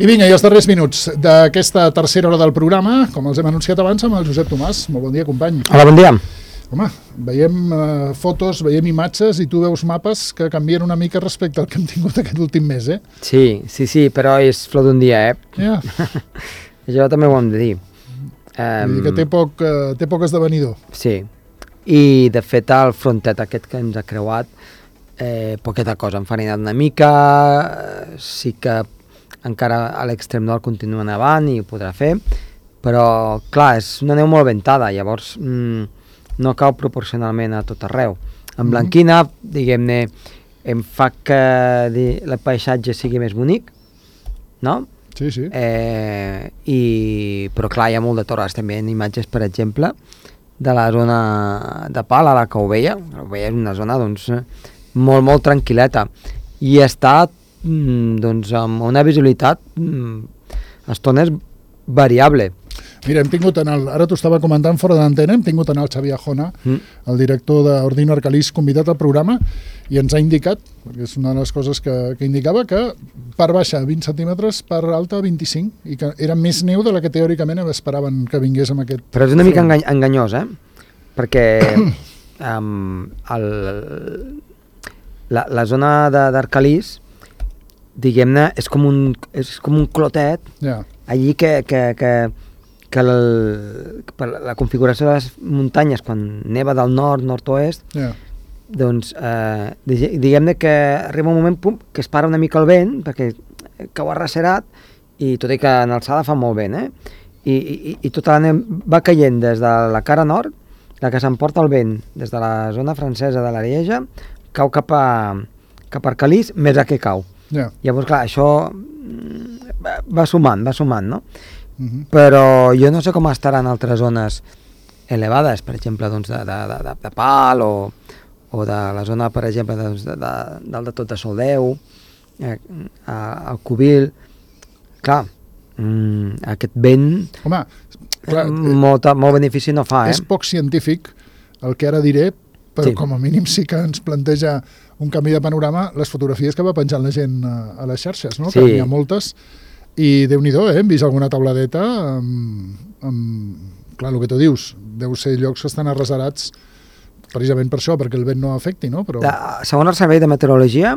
I vinga, i els darrers minuts d'aquesta tercera hora del programa, com els hem anunciat abans, amb el Josep Tomàs. Molt bon dia, company. Hola, bon dia. Home, veiem fotos, veiem imatges i tu veus mapes que canvien una mica respecte al que hem tingut aquest últim mes, eh? Sí, però és flor d'un dia, Ja. Això també ho hem de dir. Vull dir que té poc esdevenidor. Sí, i de fet el frontet aquest que ens ha creuat, poqueta cosa, enfarinat una mica, sí que encara a l'extrem nord continua nevant i ho podrà fer, però clar, és una neu molt ventada, llavors no cau proporcionalment a tot arreu. En blanquina, diguem-ne, em fa que el paisatge sigui més bonic, no? Sí. Però clar, hi ha molt de torres també en imatges, per exemple, de la zona de Pal, a la Caubella. La Caubella és una zona doncs, molt tranquil·leta i està doncs, amb una visibilitat a estones variable. Mira, hem tingut ara t'ho estava comentant fora d'antena, hem tingut el Xavi Ajona, el director d'Ordino Arcalís, convidat al programa, i ens ha indicat, perquè és una de les coses que indicava, que part baixa 20 centímetres, part alta 25, i que era més neu de la que teòricament esperaven que vingués amb aquest... Però és una mica enganyós, perquè la zona d'Arcalís, diguem-ne, és com un clotet, allí que la configuració de les muntanyes, quan neva del nord, nord-oest, doncs diguem-ne que arriba un moment que es para una mica el vent, perquè cau arrecerat, i tot i que en alçada fa molt vent, i tota la neu va caient des de la cara nord, la que s'emporta el vent des de la zona francesa de l'Arieja, cau cap a Arcalís, més a que cau. Llavors, clar, això va sumant, no? Però jo no sé com estaran altres zones elevades, per exemple, doncs, de Pal o de la zona, per exemple, del de tot de Soldeu, al Cubil. Clar, aquest vent molt benefici no fa. És poc científic el que ara diré, però com a mínim sí que ens planteja un canvi de panorama les fotografies que va penjant la gent a les xarxes, no? Que n'hi ha moltes, i Déu-n'hi-do, hem vist alguna tauladeta clar, el que tu dius, deu ser llocs que estan arrecerats precisament per això, perquè el vent no afecti, no? Segons el Servei de Meteorologia,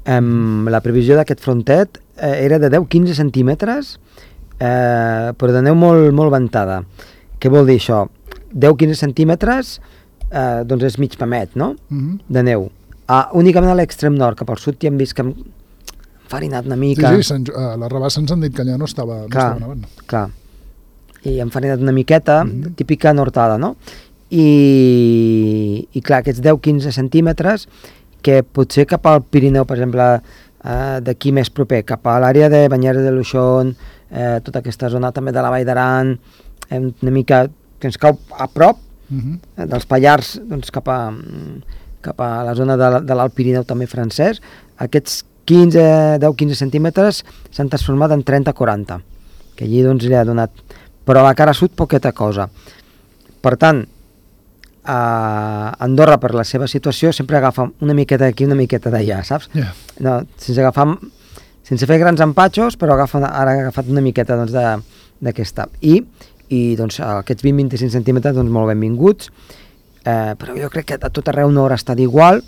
la previsió d'aquest frontet era de 10-15 centímetres, però de neu molt ventada. Què vol dir això? 10-15 centímetres doncs és mig pamet, no? De neu. Únicament a l'extrem nord, cap al sud, ja hem vist que hem farinat una mica. Sí, a la Rabassa ens han dit que allà no estava nevant. Clar, i hem farinat una miqueta, típica nortada, no? I clar, aquests 10-15 centímetres, que potser cap al Pirineu, per exemple, d'aquí més proper, cap a l'àrea de Banyeres de Luixón, tota aquesta zona també de la Vall d'Aran, una mica que ens cau a prop, dels Pallars, doncs cap a la zona de l'Alt Pirineu també francès, aquests 10-15 centímetres s'han transformat en 30-40, que allí doncs li ha donat, però a la cara sud poqueta cosa. Per tant, Andorra, per la seva situació, sempre agafa una miqueta d'aquí, una miqueta d'allà, saps? No, sense fer grans empatxos, però ara ha agafat una miqueta d'aquesta. I doncs, aquests 20-25 centímetres doncs, molt benvinguts, però jo crec que a tot arreu no haurà estat igual.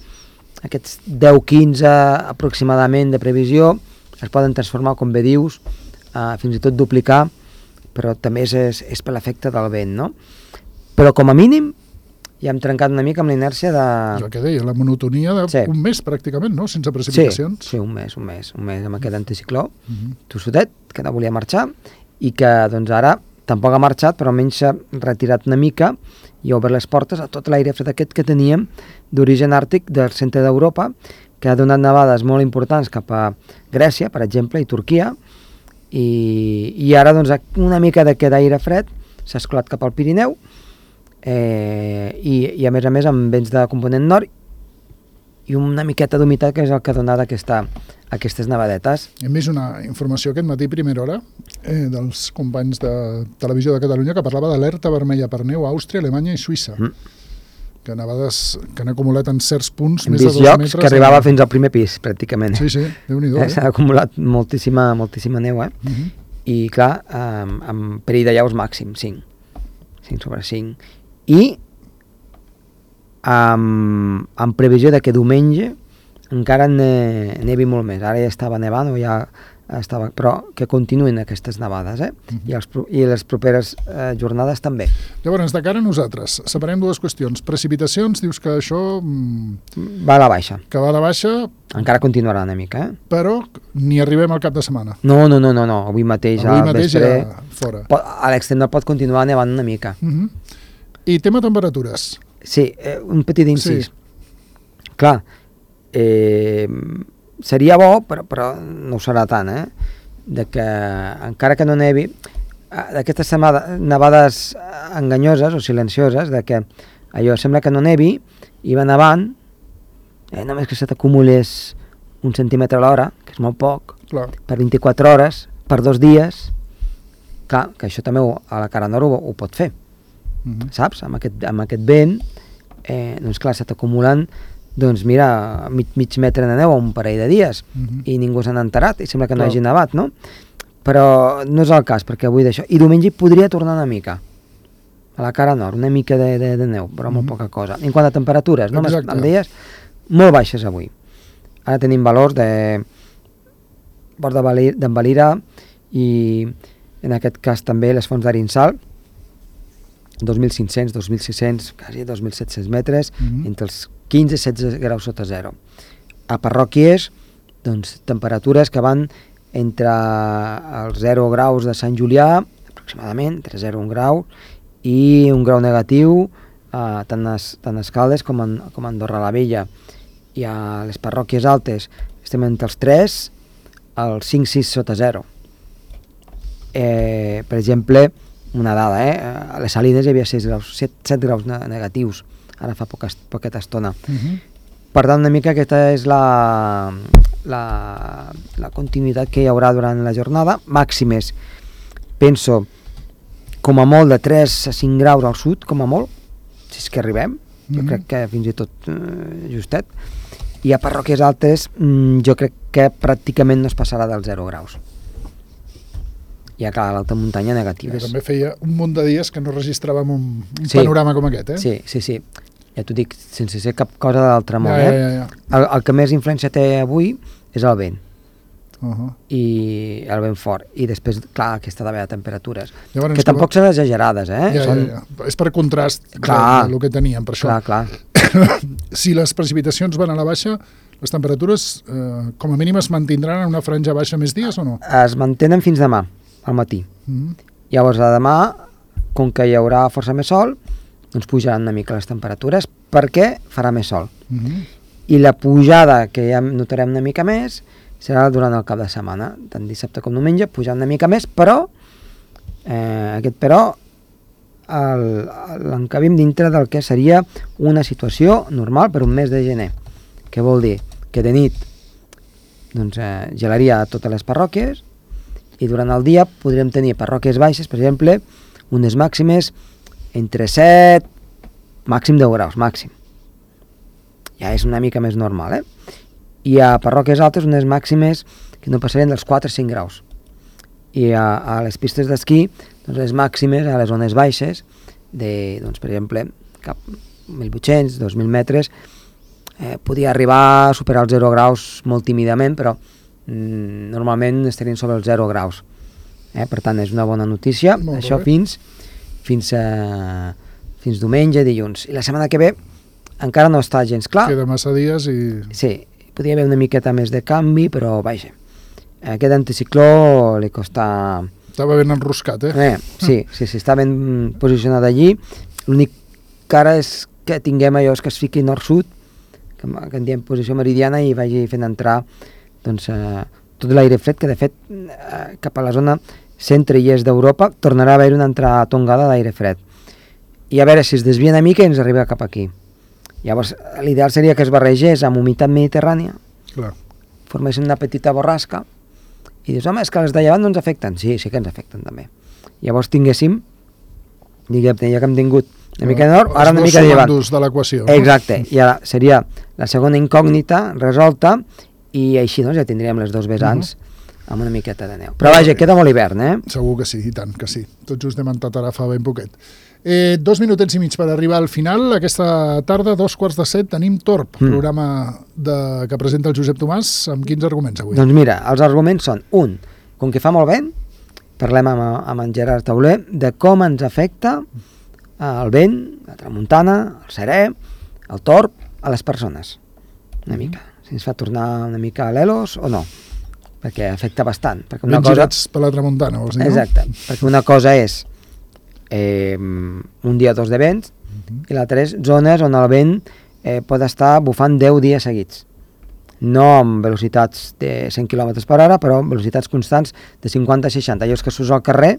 Aquests 10-15 aproximadament de previsió es poden transformar, com bé dius, fins i tot duplicar, però també és per l'efecte del vent, no? Però com a mínim ja hem trencat una mica amb l'inèrcia de... El que deia, la monotonia d'un mes pràcticament, no? Sense precipitacions. Sí, un mes amb aquest anticicló tossudet, que no volia marxar, i que doncs ara tampoc ha marxat, però almenys s'ha retirat una mica i ha obert les portes a tot l'aire fred aquest que teníem d'origen àrtic del centre d'Europa, que ha donat nevades molt importants cap a Grècia, per exemple, i Turquia, i ara doncs una mica d'aquest aire fred s'ha escolat cap al Pirineu, i a més amb vents de component nord i una miqueta d'humitat, que és el que ha donat aquestes nevadetes. Hem vist una informació aquest matí, primera hora, dels companys de Televisió de Catalunya, que parlava d'alerta vermella per neu a Àustria, Alemanya i Suïssa. que nevades que han acumulat en certs punts Hem més de vist 2 llocs metres. que arribava fins al primer pis, pràcticament. Sí, Déu-n'hi-do. S'ha acumulat moltíssima neu, I, clar, amb perill de llaus màxim, 5 sobre 5. I amb previsió de que diumenge encara nevi molt més. Ara ja estava nevant, però que continuïn aquestes nevades, I les properes jornades també. Llavors, de cara a nosaltres, separem dues qüestions. Precipitacions, dius que això... Va a la baixa. Que va a la baixa... Encara continuarà una mica, Però ni arribem al cap de setmana. No. Avui mateix ja fora. A l'extrem pot continuar nevant una mica. I tema temperatures. Sí, un petit incís. Clar, seria bo, però no ho serà tant, de que encara que no nevi, d'aquestes nevades enganyoses o silencioses, de que allò sembla que no nevi i va nevant, només que se t'acumulés 1 centímetre a l'hora, que és molt poc, per 24 hores, per 2 dies, clar, que això també a la cara nord ho pot fer, saps? Amb aquest vent, doncs clar, se t'acumulen doncs mira, mig metre de neu a un parell de dies i ningú s'ha enterat i sembla que no hagi nevat, no? Però no és el cas, perquè avui d'això... I diumenge podria tornar una mica a la cara nord, una mica de neu, però molt poca cosa. En quant a temperatures, no? Em deies molt baixes avui. Ara tenim valors de Port d'en Valira i en aquest cas també les fonts d'Arinsal, 2.500, 2.600, quasi 2.700 metres, entre els 15 i 16 graus sota zero. A Parròquies, doncs, temperatures que van entre els 0 graus de Sant Julià, aproximadament, entre 0 i 1 grau, i 1 grau negatiu, tant a Escaldes com a Andorra la Vella. I a les parròquies altes estem entre els 3 als 5-6 sota zero. Per exemple, una dada, a les Salines hi havia 7 graus negatius, ara fa poqueta estona. Per tant, una mica aquesta és la continuïtat que hi haurà durant la jornada. Màximes, penso, com a molt de 3 a 5 graus al sud, com a molt, si és que arribem, jo crec que fins i tot justet. I a parròquies altes jo crec que pràcticament no es passarà dels 0 graus. I a l'alta muntanya negatives. També feia un munt de dies que no registràvem un panorama com aquest, Sí. Ja t'ho dic, sense ser cap cosa de l'altre món, El que més influència té avui és el vent. I el vent fort. I després, clar, aquesta de temperatures. Llavors, que tampoc són exagerades, És per contrast del que teníem, per això. Clar. Si les precipitacions van a la baixa, les temperatures, com a mínim, es mantindran en una franja baixa més dies o no? Es mantenen fins demà, al matí. Llavors, a demà, com que hi haurà força més sol, doncs pujaran una mica les temperatures perquè farà més sol. I la pujada que ja notarem una mica més serà durant el cap de setmana, tant dissabte com diumenge, pujar una mica més, però l'encabim dintre del que seria una situació normal per un mes de gener. Què vol dir? Que de nit doncs, gelaria a totes les parròquies i durant el dia podríem tenir parròquies baixes, per exemple, unes màximes entre 7, màxim 10 graus, màxim. Ja és una mica més normal, I a parròquies altes unes màximes que no passarien dels 4 o 5 graus. I a les pistes d'esquí, doncs les màximes a les zones baixes, doncs, per exemple, cap 1.800, 2.000 metres, podia arribar a superar els 0 graus molt tímidament, però normalment estarien sobre els 0 graus. Per tant, és una bona notícia. Això fins diumenge, dilluns. I la setmana que ve encara no està gens clar. Queda massa dies i... Sí, podria haver una miqueta més de canvi, però vaja. Aquest anticicló li costa... Estava ben enroscat, Sí, està ben posicionat allí. L'únic que ara és que tinguem allò que es fiqui nord-sud, que en diem posició meridiana, i vagi fent entrar doncs, tot l'aire fred, que de fet cap a la zona centre i est d'Europa tornarà a haver una entrada tongada d'aire fred. I a veure si es desvia una mica i ens arriba cap aquí. Llavors, l'ideal seria que es barregés amb humitat mediterrània, formessin una petita borrasca, i dius, home, és que les de llevant no ens afecten. Sí que ens afecten també. Llavors tinguéssim, diguem, ja que hem tingut Una mica de nord, ara una mica de llevant. Els dos de l'equació. Exacte, i ara seria la segona incògnita resolta i així doncs ja tindríem les dos vessants amb una miqueta de neu. Però vaja, queda molt hivern, Segur que sí, i tant que sí. Tot just hem entrat ara fa ben poquet. 2 minutets i mig per arribar al final. Aquesta tarda, 7:15, tenim Torb, programa que presenta el Josep Tomàs. Amb quins arguments avui? Doncs mira, els arguments són, com que fa molt vent, parlem amb en Gerard Tauler de com ens afecta el vent, la tramuntana, el serè, el torb, a les persones. Una mica. Si ens fa tornar una mica a l'elos o no. Perquè afecta bastant. Ben girats per la tramuntana, vols dir, no? Exacte. Perquè una cosa és un dia o dos de vents i l'altra és zones on el vent pot estar bufant 10 dies seguits. No amb velocitats de 100 km per hora, però amb velocitats constants de 50-60. Allò és que surts al carrer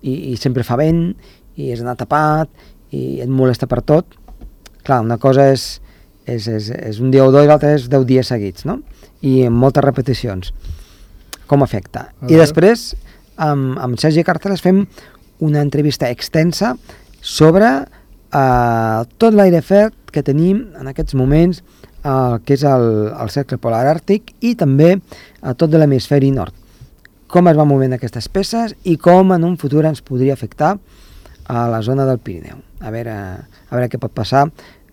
i sempre fa vent i has d'anar tapat i et molesta per tot. Clar, una cosa és un dia o dos i l'altra és 10 dies seguits, no? I amb moltes repeticions. Com afecta? I després, amb Sergi Carteles fem una entrevista extensa sobre tot l'aire fred que tenim en aquests moments, que és el cercle polar àrtic i també tot de l'hemisferi nord. Com es van movent aquestes peces i com en un futur ens podria afectar a la zona del Pirineu. A veure què pot passar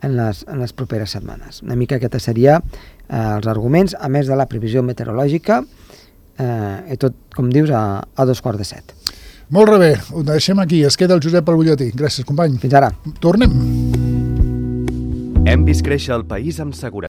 en les properes setmanes. Una mica aquests serien els arguments, a més de la previsió meteorològica, i tot, com dius, a 7:15. Molt bé, ho deixem aquí. Es queda el Josep al butlletí. Gràcies, company. Fins ara. Tornem. Hem vist créixer el país amb seguretat.